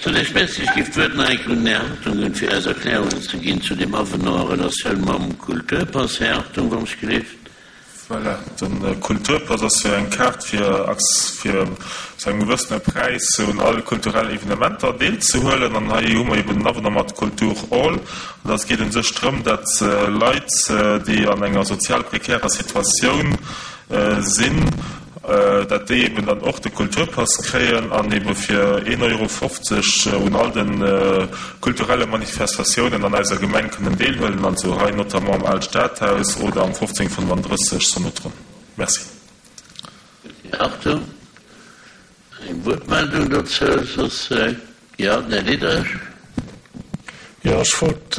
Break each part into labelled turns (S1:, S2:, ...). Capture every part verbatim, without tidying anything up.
S1: Zunächst Merci. Ech géif d'Wuert nach eng Kéier un den Här Hartung ginn, fir eis Erklärungen ze ginn zu deem Avenant a Relatioun mam Kulturpass. Här Hartung, wann ech gelift.
S2: Voilà, de Kulturpass ass jo eng Kaart fir fir zu engem gewëssene Präis un all kulturell Evenementer deelzehuelen. An hei hu mer eben den Avenant mat Kulturall. An dat geet u sech drëm, datt Leit, déi an enger sozial prekärer Situatioun sinn, datt déi eben dann och de Kulturpass kréien an ebe fir een Euro fofzeg un all de kulturelle Manifestatiounen an eiser Gemeng kënnen deelhuelen, also hei notamment am Aalt Stadhaus oder am fofzéng fënnefandrësseg Sonotron. Merci.
S1: Här Hartung, eng Wuertmeldung dozou? Soss, jo, den Här Diderich.
S3: Jo, ech wollt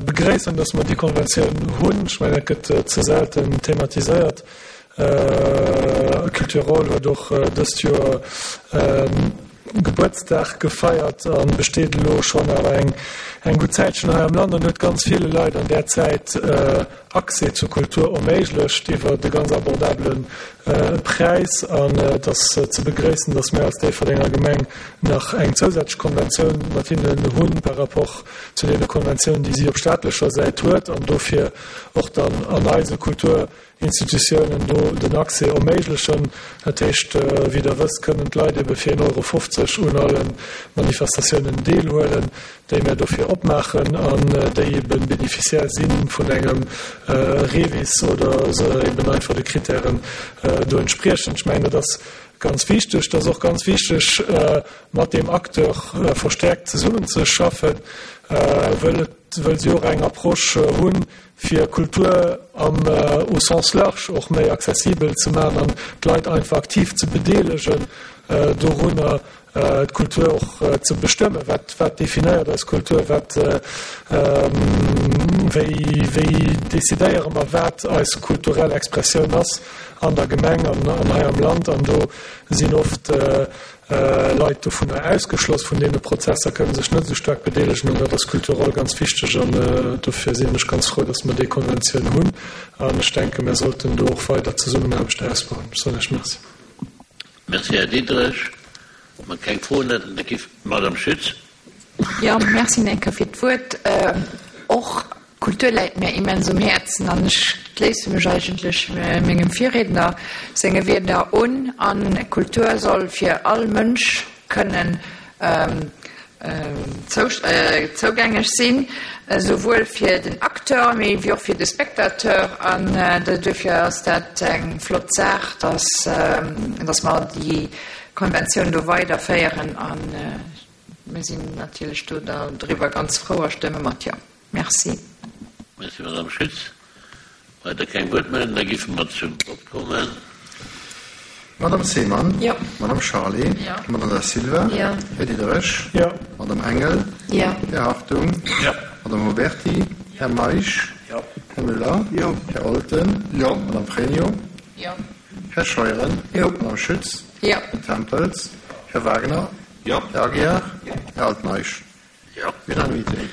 S3: begréissen, dass mer déi Konventioun hunn. Ech mengen, dat gëtt ze selten thematiséiert. Cultur'All huet och dëst Joer Gebuertsdag gefeiert a besteet elo schonn awer eng eng gutt Zäitchen hei am Land an huet ganz ville Leit an där Zäit Accès zur Kultur erméiglecht iwwer e ganz abordabele Präis. An et ass ze begréissen, dass mir als Déifferdenger Gemeng nach eng zousätzlech Konventioun mat hinnen hunn par rapport zu deene Konventiounen, déi si op staatlecher Säit huet an dofir och dann an eise Kultur Institutiounen do den Accès erméiglechen. Dat heescht, wéi Der wësst, kënnen d'Leit ebe fir een Euro fofzeg un alle Manifestatiounen deelhuelen, déi mir dofir opmaachen an déi ebe Bénéficiaire si vun engem REVIS oder se eben einfach de Kritären do entspriechen. Ech mengen, dat ass ganz wichteg. Et ass och ganz wichteg, mat deem Acteur verstärkt zesummenzeschaffen, wëll et, wëll si och eng Approche hunn, fir Kultur am au sens large och méi accessibel ze maachen an d'Leit einfach aktiv ze bedeelegen dorunner, d'Kultur och ze bestëmmen. Wat, wat definéiert eis Kultur? Wat, wéi, wéi decidéiere mer, wat eis kulturell Expressioun ass an der Gemeng an, an hei am Land? An do sinn oft Leit dovunner ausgeschloss vun deene Prozesser, kënnen sech net esou staark bedeelegen an dat ass kulturell ganz wichteg an dofir sinn ech ganz frou, dass mer déi Konventioun hunn an ech denken, mir sollten do och weider d'Zesummenaarbecht ausbauen. Ech soen Iech Merci.
S1: Merci, Här Diderich. Wa mer keng Froen hätten, da géif d'Madame Schütz.
S4: Jo, merci nach eng Kéier fir d'Wuert. Och Kultur läit mir immens um Häerzen an ech schléisse mech eigentlech mengem Virriedner senge Wierder un. An Kultur soll fir all Mënsch kënnen zougänglech sinn, esouwuel fir den Acteur, mee wéi och fir de Spectateur. An duerfir ass dat eng flott Saach, dass dass mer déi Konventioun do weiderféieren. A mir sinn natierlech do driwwer ganz frou a stëmme mat Jo. Merci.
S1: Merci, Madame Schütz. Weider keng Wuertmeldung, da géife mer zum Vott kommen.
S5: Madame Seemann.
S4: Jo.
S5: Madame Charlé.
S4: Jo.
S5: Madame Da Silva.
S4: Jo.
S5: Här Diderich.
S3: Jo.
S5: Madame Engel.
S4: Jo.
S5: Här Hartung.
S2: Jo.
S5: Madame Oberti. Här Meisch.
S2: Jo.
S5: Här Müller.
S2: Jo.
S5: Här Olten.
S2: Jo.
S5: Madame Pregno.
S4: Jo.
S5: Här Scheuren.
S4: Jo.
S5: Madame Schütz.
S4: Jo.
S5: Här Tempels. Här Wagner.
S2: Jo.
S5: Här Aguiar. Här Altmeisch.
S1: Jo.
S5: Unanimitéit.